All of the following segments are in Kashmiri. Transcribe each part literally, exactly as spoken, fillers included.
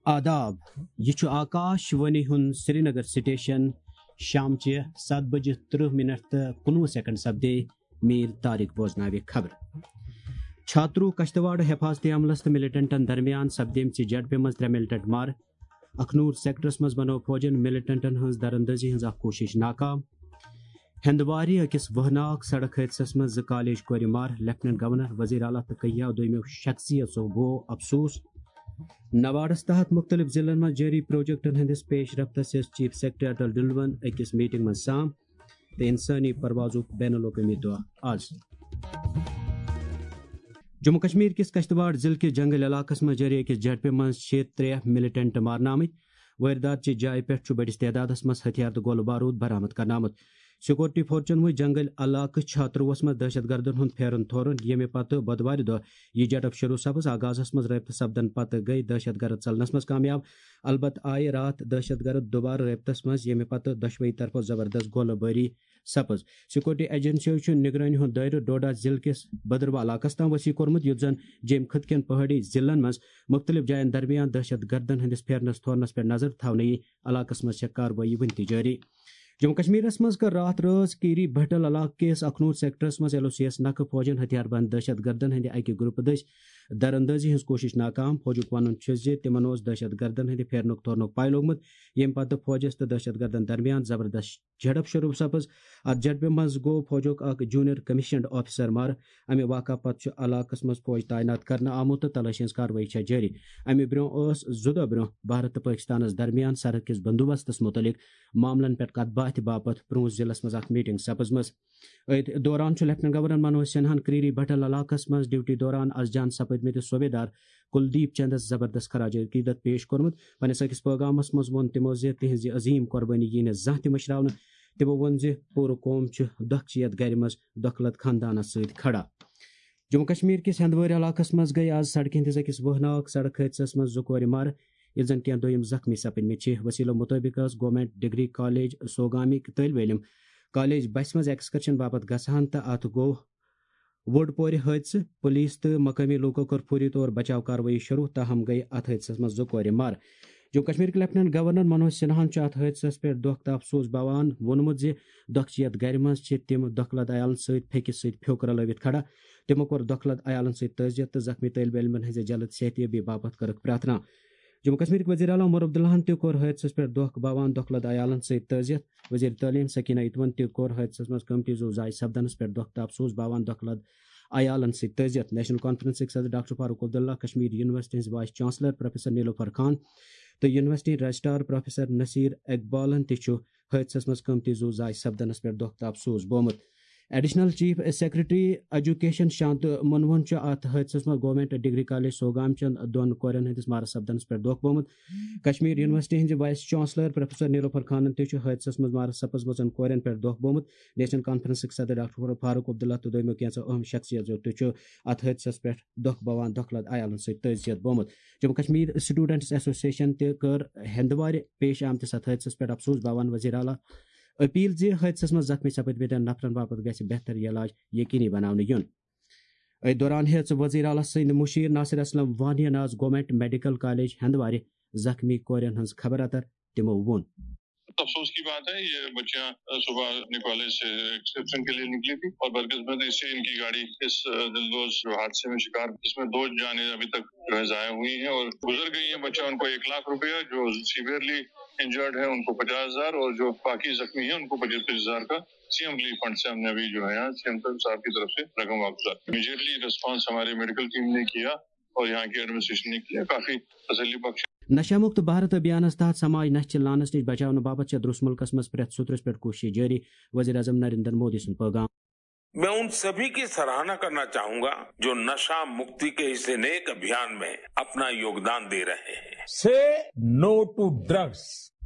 آداب، یہِ چھُ آکاش وانی ہُنٛد سرینگر سٹیشن۔ شامچہِ ستھ بجہِ ترٕہ منٹ تہٕ کُنوُہ سیکنڈ سپدے میٖر طارق بوزناوِ خبر۔ چھاتروٗ کشتواڑ حفاظتی عملس تہٕ ملیٹنٹن درمیان سپدیمژِ جھڑپہِ منٛز ترٛےٚ ملیٹنٹ مارٕ۔ اخنور سیکٹرس منٛز بنٲو فوجن ملیٹنٹن ہٕنٛز دراندازی ہٕنٛز اکھ کوٗشش ناکام۔ ہندوارِ أکِس وہناک سڑک حٲدثس منٛز زٕ کالج کورِ مارٕ، لیفٹیننٹ گورنر، وزیر اعلیٰ تہٕ کہیا دوٚیمٮ۪و شخصیژو بوو افسوس۔ نواڈس تحت مختلف ضلعن منٛز جٲری پروجیکٹن ہٕنٛدِس پیش رفتس ہیٚژ چیف سیکرٹری اٹل ڈلون أکِس میٹنگ منٛز سام تہٕ انسٲنی پروازُک بین الاقوٲمی دۄہ آز۔ جموں کشمیر کِس کشتواڑ ضلعہٕ کِس جنگل علاقس منٛز جٲری أکِس جھڑپہِ منٛز چھِ ترٛےٚ ملیٹنٹ مارنہٕ آمٕتۍ۔ وٲرۍدات چہِ جایہِ پٮ۪ٹھ چھُ بٔڑِس تعدادس منٛز ہتھیار تہٕ گولہٕ بارود برآمد کرنہٕ آمُت۔ سیکورٹی فورسن وُچھ جنگل علاقہٕ چھاتروَس منٛز دہشت گردن ہُنٛد پھیرُن تھورُن، ییٚمہِ پتہٕ بۄدوارِ دۄہ یہِ جھڑپ شروع سپٕز۔ آغازس منٛز رٲبطہٕ سپدن پتہٕ گٔے دہشت گرد ژلنس منٛز کامیاب۔ البتہٕ آیہِ راتھ دہشت گرد دوبارٕ رٲبطس منٛز، ییٚمہِ پتہٕ دۄشوٕے طرفو زبردست گولہٕ بٲری سپٕز۔ سیکورٹی ایجنسیو چھُ نگرٲنی ہُنٛد دٲیرٕ ڈوڈا ضلعہٕ کِس بدروا علاقس تام وسیع کوٚرمُت، یُتھ زن جیٚمۍ خٕطہٕ کٮ۪ن پہٲڑی ضلعن منٛز مُختٔلِف جاین درمیان دہشت گردن ہٕنٛدِس پھیرنس تھورنس پٮ۪ٹھ نظر تھاونہٕ یِیہِ۔ علاقس منٛز چھےٚ کاروٲیی وُنہِ تہِ جٲری۔ جموں کشمیرس منٛز کٔر راتھ رٲژ کیری بھٹل علاقہٕ کِس اخنور سیکٹرس منٛز ایل او سی یس نکھٕ فوجن ہتھیار بند دہشت گردن ہٕنٛدِ اکہِ گروپہٕ دٔسۍ دراندازی ہٕنٛز کوٗشش ناکام۔ فوجُک ونُن چھُ زِ تِمن اوس دہشت گردن ہٕنٛدِ پھیرنُک تھورنُک پاے لوگمُت، ییٚمہِ پتہٕ فوجس تہٕ دہشت گردن درمیان زبردست جھڑپ شروع سپٕز۔ اتھ جھڑپہِ منٛز گوٚو فوجُک اکھ جونیئر کمشنڈ آفیسر مارٕ۔ امہِ واقعہٕ پتہٕ چھُ علاقس منٛز فوج تعینات کرنہٕ آمُت تہٕ تلٲشی ہٕنٛز کاروٲیی چھےٚ جٲری۔ امہِ برٛونٛہہ ٲس زٕ دۄہ برٛونٛہہ بھارت تہٕ پٲکستانس درمیان سرحد کِس بندوبستس مُتعلق معاملن پٮ۪ٹھ کتھ باتھِ باپتھ پرٛونٛہہ ضلعس منٛز اکھ میٹنگ سپٕزمٕژ۔ أتھۍ دوران چھُ لیفٹیننٹ گورنر منوج سنہاہن کریری بھٹل علاقس منٛز ڈیوٹی دوران از جان سپٕدمٕتِس صوبیدار کلدیپ چندس زبردست خراج عقیدت پیش کوٚرمُت۔ پننِس أکِس پٲغامس منٛز ووٚن تِمو زِ تِہنٛزِ عظیٖم قۄربٲنی ییہِ نہٕ زانٛہہ تہِ مٔشراونہٕ۔ تِمو ووٚن زِ پوٗرٕ قوم چھِ دۄکھٕ چیت گرِ منٛز دۄکھٕ لد خاندانس سۭتۍ کھڑا۔ جموں کشمیر کِس ہندوارِ علاقس منٛز گٔے آز سڑکہِ ہٕنٛدِس أکِس وٲہناک سڑک حٲدثس منٛز زٕ کورِ مارٕ، ییٚلہِ زن کینٛہہ دوٚیِم زخمی سپٕدمٕتۍ چھِ۔ وسیلو مُطٲبِق ٲس گورنمنٹ ڈگری کالج سوگامٕکۍ طٲلبہِ علم کالج بسہِ منٛز ایکسکرشن باپتھ گژھان تہٕ اتھ گوٚو وُڈ پورِ حٲدثہٕ۔ پولیس تہٕ مقٲمی لوٗکو کٔر فوری طور بچاو کاروٲیی شروع، تاہم گٔیہِ اتھ حٲدثس منٛز زٕ کورِ مارٕ۔ جموں کشمیر کہِ لیفٹیننٹ گورنر منوج سنہاہن چھُ اتھ حٲدثس پٮ۪ٹھ دۄکھ تہٕ افسوس باوان ووٚنمُت زِ دۄکھٕ چیت گرِ منٛز چھِ تِم دۄکھٕ لد عیالن سۭتۍ پھیٚکِس سۭتۍ پھیوٚک رلٲوِتھ کھڑا۔ تِمو کوٚر دۄکھٕ لد عیالن سۭتۍ تعزیت تہٕ زخمی طٲلبہِ علمن ہٕنٛزِ جلد صحتیٲبی باپتھ کٔرٕکھ پرارتھنا۔ جموں کشمیرٕکۍ وزیر اعلیٰ عمر عبداللہن تہِ کوٚر حٲدثس پٮ۪ٹھ دۄکھ باوان دۄکھٕ لد عیالن سۭتۍ تعزیت۔ وزیر تعلیم سکینہ اتون تہِ کوٚر حٲدثس منٛز قۭمتی زُو ضایع سپدنس پٮ۪ٹھ دۄکھ تہٕ افسوس باوان دۄکھٕ لد عیالن سۭتۍ تعزیت۔ نیشنل کانفرنسٕکۍ صدر ڈاکٹر فاروق عبداللہ، کشمیر یونیورسٹی ہٕنٛز وائس چانسلر پروفیسر نیلوفر خان تہٕ یونیورسٹی رجسٹرار پروفیسر نصیر اقبالن تہِ چھُ حٲدثس منٛز قۭمتی زُو ضایع سپدنس پٮ۪ٹھ دۄکھ تہٕ افسوس بومُت۔ ایڈیشنل چیف سیکرٹری ایجوکیشن شانت منوہن چھُ اتھ حٲدثس منٛز گورنمنٹ ڈگری کالج سوگام چٮ۪ن دۄن کورٮ۪ن ہٕنٛدِس مارٕ سپدنس پٮ۪ٹھ دۄکھ بومُت۔ کشمیر یونیورسٹی ہٕنٛزِ وائس چانسلر پروفیسر نیلوفر خانن تہِ چھُ حٲدثس منٛز مارٕ سپٕزمٕژن کورٮ۪ن پٮ۪ٹھ دۄکھ بومُت۔ نیشنل کانفرنسٕکۍ صدر ڈاکٹر فاروق عبداللہ تہٕ دوٚیمٮ۪و کینٛژو اہم شخصیژو تہِ چھُ اتھ حٲدثس پٮ۪ٹھ دۄکھ باوان دۄکھٕ لد عیالن سۭتۍ تعزیت بومُت۔ جموں کشمیر اسٹوڈنٹس ایسوسیشن تہِ کٔر ہندوارِ پیش آمتِس اتھ حٲدثس پٮ۪ٹھ افسوس باوان وزیر اعلیٰ اپیل زِ حٲدثس منٛز زخمی سپٕدمٕتٮ۪ن نفرن باپتھ گژھِ بہتر علاج یقینی بناونہٕ یُن۔ أتھۍ دوران ہیٚژ وزیر اعلیٰ سٕنٛدۍ مُشیر ناصر اسلم وانین آز گورنمنٹ میڈیکل کالج ہندوارِ زخمی کورٮ۪ن ہٕنٛز خبر اتر۔ تِمو ووٚن۔ افسوس کی بات ہے، یہ بچیاں صبح اپنے کالج سے ایکسکرشن کے لیے نکلی تھی اور بدقسمتی سے ان کی گاڑی اس دلدوز جو حادثے میں شکار، اس میں دو جانیں ابھی تک جو ہے ضائع ہوئی ہیں اور گزر گئی ہیں۔ بچہ، ان کو ایک لاکھ روپیہ، جو سیویئرلی انجرڈ ہے ان کو پچاس ہزار اور جو باقی زخمی ہیں ان کو پچیس پچیس ہزار کا سی ایم ریلیف فنڈ سے ہم نے ابھی جو ہے یہاں سی ایم صاحب کی طرف سے رقم واپس۔ امیڈیٹلی ریسپانس ہماری میڈیکل ٹیم نے کیا اور یہاں کی ایڈمنسٹریشن نے کیا، کافی تسلی بخش۔ نشہ مکت بھارت ابھیانس تحت سماج نشہ چہ لعنس نش بچاونہٕ باپتھ چھےٚ درس ملکس منٛز پرٛٮ۪تھ سوٚترس پٮ۪ٹھ کوٗشش جٲری، وزیر اعظم نریندر مودی سُنٛد پٲغام۔ میں ان سبھی کی سراہنا کرنا چاہوں گا جو نشہ مکتی کے इस नेक अभियान में अपना योगदान दे रहे हैं। Say no to drugs.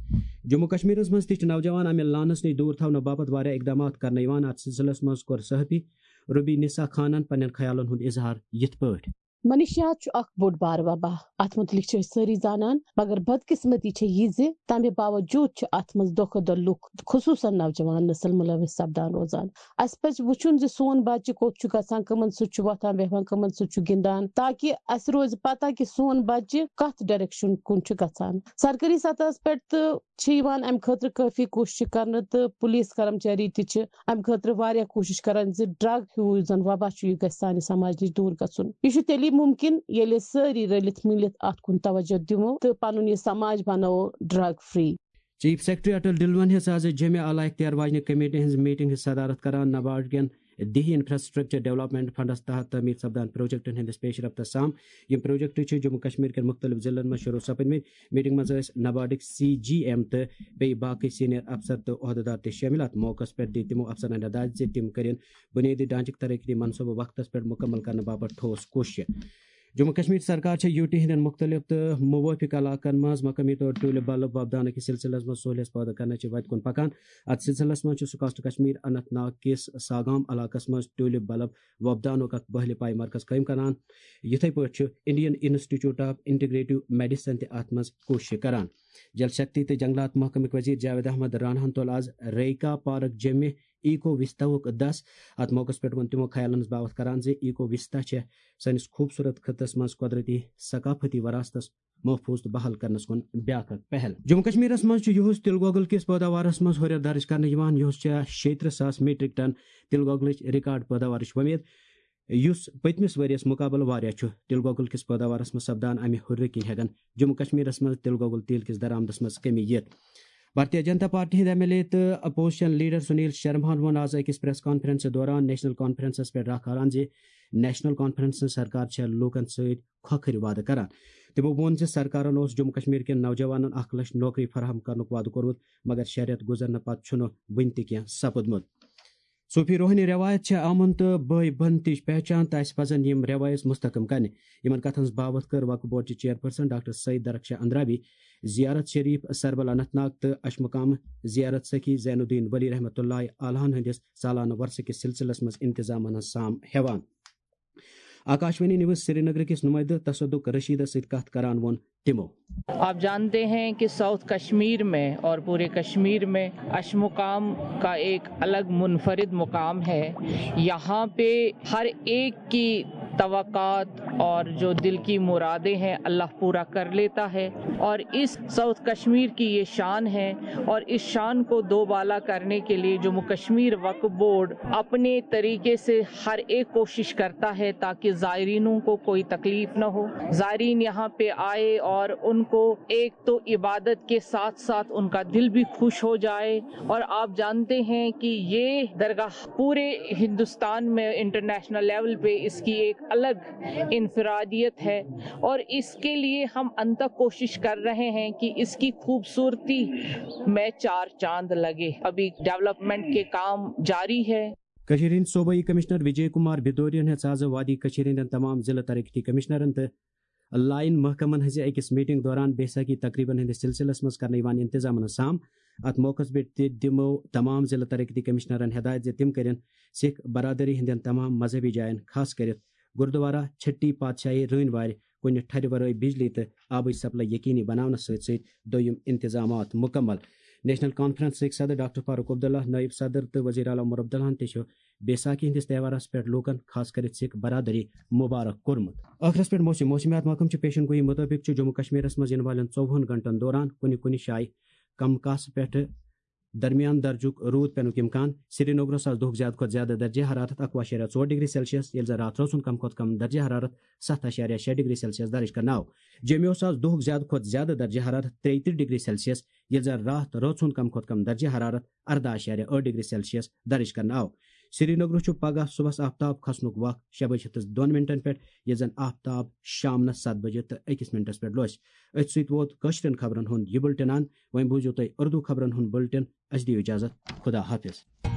Jammu کشمیرس منٛز تہِ چھِ نوجوان امہِ لعنس نِش دوٗر تھاونہٕ باپتھ واریاہ اقدامات کرنہٕ یِوان۔ اتھ سلسلس منٛز کوٚر صحافی ربی نسا خانن پننٮ۪ن خیالن ہُنٛد اظہار یِتھ پٲٹھۍ۔ منشیات چھُ اکھ بوٚڑ بار وبا۔ اتھ متعلق چھِ أسۍ سٲری زانان، مگر بدقسمتی چھےٚ یہِ زِ تمہِ باوجود چھِ اتھ منٛز دۄہ کھۄتہٕ دۄہ لُکھ، خصوٗصن نوجوان نسل، مُلوث سپدان روزان۔ اسہِ پزِ وٕچھُن زِ سون بچہِ کوٚت چھُ گژھان، کٕمن سۭتۍ چھُ وۄتھان بیٚہوان، کٕمن سۭتۍ چھُ گِنٛدان، تاکہِ اسہِ روزِ پتہ کہِ سون بچہِ کتھ ڈایریکشن کُن چھُ گژھان۔ سرکٲری سطحس پٮ۪ٹھ تہٕ چھِ یِوان امہِ خٲطرٕ کٲفی کوٗششہٕ کرنہٕ، تہٕ پُلیٖس کرمچاری تہِ چھِ امہِ خٲطرٕ واریاہ کوٗشش کران زِ ڈرگ ہیوٗ یُس زن وبا چھُ، یہِ گژھِ سانہِ سماج نِش دوٗر گژھُن۔ یہِ چھُ تیٚلی مُمکِن، ییٚلہِ أسۍ سٲری رٔلِتھ مِلِتھ اتھ کُن توجہ دِمو تہٕ پنُن یہِ سماج بناوو drug free. Chief secretary Atal ڈلون ہیٚژ آز جمعہ اعلیٰ اختیار واجنہِ کمیٹی ہٕنٛز میٹنگ ہٕنٛز صدارت کران۔ نبارڈ کٮ۪ن دیہی انفراسٹرکچر ڈیولپمنٹ فنڈس تحت تعمیٖر سپدان پروجیکٹن ہٕنٛدِس پیش رفتس سام۔ یِم پروجیکٹ چھِ جموں کشمیر کٮ۪ن مُختٔلِف ضلعن منٛز شروع سپدمٕتۍ۔ میٹنگ منٛز ٲسۍ نبارڈٕکۍ سی جی ایم تہٕ بیٚیہِ باقٕے سینئر افسر تہٕ عہدٕدار تہِ شٲمِل۔ اتھ موقعس پٮ۪ٹھ دِتۍ تِمو افسرن ہدایت زِ تِم کٔرِن بُنیٲدی ڈھانچٕکۍ ترقیتی منصوبہٕ وقتس پٮ۪ٹھ مُکمل کرنہٕ باپتھ ٹھوس کوٗششہٕ۔ جموں کشمیر سرکار چھےٚ یوٗ ٹی ہٕنٛدٮ۪ن مُختٔلِف تہٕ موٲفِق علاقن منٛز مقٲمی طور ٹیوٗلِپ بلب وۄپداونہٕ کِس سلسلس منٛز سہوٗلیت پٲدٕ کرنہٕ چہِ وتہِ کُن پکان۔ اتھ سلسلس منٛز چھُ سکاسٹ کشمیر اننت ناگ کِس ساگام علاقس منٛز ٹیوٗلِپ بلب وۄپداونُک اکھ بحلہِ پایہِ مرکز قٲیِم کران۔ یِتھے پٲٹھۍ چھُ Indian institute of integrative medicine تہِ اتھ منٛز کوٗشش کران۔ جل شکتی تہٕ جنگلات محکمٕکۍ وزیر جاوید احمد راناہن تُل آز ریکا پارک جیمہِ ایکو وِستاہُک دَس۔ اتھ موقعس پٮ۪ٹھ ووٚن تِمو خیالن ہٕنٛز باوتھ کران زِ ایکو وِستا چھےٚ سٲنِس خوٗبصوٗرت خطس منٛز قۄدرتی ثقافتی وراثتس محفوٗظ تہٕ بحال کرنس کُن بیاکھ اکھ پہل۔ جموں کشمیرس منٛز چھُ یُہُس تِل گۄگُل کِس پٲداوارس منٛز ہُرٮ۪ر درٕج کرنہٕ یِوان، یُہُس چھےٚ شیٚیہِ ترٕٛہ ساس میٹرک ٹن تِل گۄگلٕچ ریکارڈ پٲداوارٕچ وۄمید، یُس پٔتمِس ؤرۍ یَس مُقابلہٕ واریاہ چھُ۔ تِل گۄگُل کِس پٲداوارس منٛز سپدان امہِ ہُرٮ۪ر کِنۍ ہٮ۪کن جموں کشمیرس منٛز تِل گۄگُل تیل کِس درآمدس منٛز کمی یِتھ۔ بھارتیہ جنتا پارٹی ہٕنٛدۍ ایم ایل اے تہٕ اپوزیشن لیڈر سنیل شرماہن ووٚن آز أکِس پریس کانفرنسس دوران نیشنل کانفرنسس پٮ۪ٹھ راہ کھالان زِ نیشنل کانفرنسن سرکار چھےٚ لوٗکن سۭتۍ کھۄکھٕرۍ وعدٕ کران۔ تِمو ووٚن زِ سرکارن اوس جموں کشمیر کٮ۪ن نوجوانن اکھ لچھ نوکری فراہم کرنُک وعدٕ کوٚرمُت، مگر شےٚ رٮ۪تھ گُزرنہٕ پتہٕ چھُنہٕ وُنہِ تہِ کینٛہہ سپُدمُت۔ صوفی روحٲنی رٮ۪وایت چھےٚ امن تہٕ بٲے بنتٕچ پہچان تہٕ اسہِ پزن یِم رٮ۪وایژ مستحکم کرنہِ۔ یِمن کتھن ہٕنٛز باوتھ کٔر وقف بورڈ چہِ چیئرپرسن ڈاکٹر سعید درخشاہ اندرابی۔ زیارت شریف سربل اننت ناگ تہٕ اشمقام زیارت سخی زین الدین ولی رحمتہ اللہ علیہن ہٕنٛدِس سالانہٕ ورثہٕ کِس سلسلس منٛز انتظامن ہٕنٛز سام ہٮ۪وان۔ آکاشوانی نیوز سرینگر کِس نمائندٕ تصدق رشیدس سۭتۍ کتھ کران ووٚن تِمو۔ آپ جانتے ہیں کہ ساؤتھ کشمیر میں اور پورے کشمیر میں اشمقام کا ایک الگ منفرد مقام ہے۔ یہاں پہ ہر ایک کی توقعات اور جو دل کی مرادیں ہیں، اللہ پورا کر لیتا ہے۔ اور اس ساؤتھ کشمیر کی یہ شان ہے، اور اس شان کو دوبالا کرنے کے لیے جموں کشمیر وقف بورڈ اپنے طریقے سے ہر ایک کوشش کرتا ہے تاکہ زائرینوں کو کوئی تکلیف نہ ہو، زائرین یہاں پہ آئے اور ان کو ایک تو عبادت کے ساتھ ساتھ ان کا دل بھی خوش ہو جائے۔ اور آپ جانتے ہیں کہ یہ درگاہ پورے ہندوستان میں انٹرنیشنل لیول پہ اس کی ایک الگ انفرادیت ہے، اور اس کے لیے ہم انتھک کوشش کر رہے ہیں کہ اس کی خوبصورتی میں چار چاند لگے۔ ابھی ڈیولپمنٹ کے کام جاری ہے۔ کٔشیٖرِ ہٕنٛدۍ صوبٲئی کمشنر وجے کمار بھدوریَن ہیٚژ آز وادی کٔشیٖرِ ہٕنٛدٮ۪ن تمام ضلع ترقیتی کمشنرن تہٕ لائن محکمن ہٕنٛزِ أکِس میٹنگ دوران بیساکھی تقریبن ہٕنٛدِس سلسلس منٛز کرنہٕ یِوان انتظامن ہٕنٛز سام۔ اتھ موقعس پٮ۪ٹھ تہِ دِمو تمام ضلع ترقیتی کمشنرن ہدایت زِ تِم کٔرِن سکھ برادری ہٕنٛدٮ۪ن تمام مذہبی جاین، خاص کٔرِتھ گردوارہ چھٹی پادشاہی رٲنۍ وارِ، کُنہِ ٹھرِ ورٲے بجلی تہٕ آبٕچ سپلائی یقینی بناونس سۭتۍ سۭتۍ دوٚیِم انتظامات مکمل۔ نیشنل کانفرنسٕکۍ صدر ڈاکٹر فاروق عبداللہ، نائب صدر تہٕ وزیر اعلیٰ عمر عبداللہن تہِ چھُ بیساکھی ہٕنٛدِس تہوارس پٮ۪ٹھ لوٗکن، خاص کٔرِتھ سکھ برادری، مبارک کوٚرمُت۔ ٲخرس پٮ۪ٹھ موسم۔ موسمیات محکمہٕ چہِ پیشن گویی مُطٲبِق چھُ جموں کشمیرس منٛز یِنہٕ والٮ۪ن ژوٚوُہن گھنٹن دوران کُنہِ کُنہِ جایہِ کم کاسہٕ پٮ۪ٹھ درمیان درجُک روٗد پینُک امکان۔ سرینگرس آز دۄہُک زیادٕ کھۄتہٕ زیادٕ درجہ حرارت اکوُہ اعشاریہ ژور ڈگری سیلسیس، ییٚلہِ زن راتھ رٲژ ہُنٛد کم کھۄتہٕ کم درجہ حرارت ستھ اعشاریہ شےٚ ڈگری سیلسیس درج کرنہٕ آو۔ جیمہِ اوس آز دۄہُک زیادٕ کھۄتہٕ زیادٕ درجہ حرارت ترٛیہِ ترٕٛہ ڈگری سیلسیس، ییٚلہِ زن راتھ رٲژ ہُنٛد کم کھۄتہٕ کم درجہ حرارت ارداہ اعشاریہ ٲٹھ ڈگری سیلسیس درج کرنہٕ آو۔ سرینگرس چھُ پگہہ صبحس آفتاب کھسنُک وق شےٚ بجہِ ہیٚتس دۄن منٹن پٮ۪ٹھ، ییٚلہِ زن آفتاب شامنس ستھ بجہِ تہٕ أکِس منٹس پٮ۪ٹھ لوسہِ۔ أتھۍ سۭتۍ ووت کٲشرٮ۪ن خبرن ہُنٛد یہِ بُلٹن اند۔ وۄنۍ بوٗزِو تُہۍ اردو خبرن ہُنٛد بُلٹن۔ اسہِ دِیِو اجازت۔ خدا حافظ۔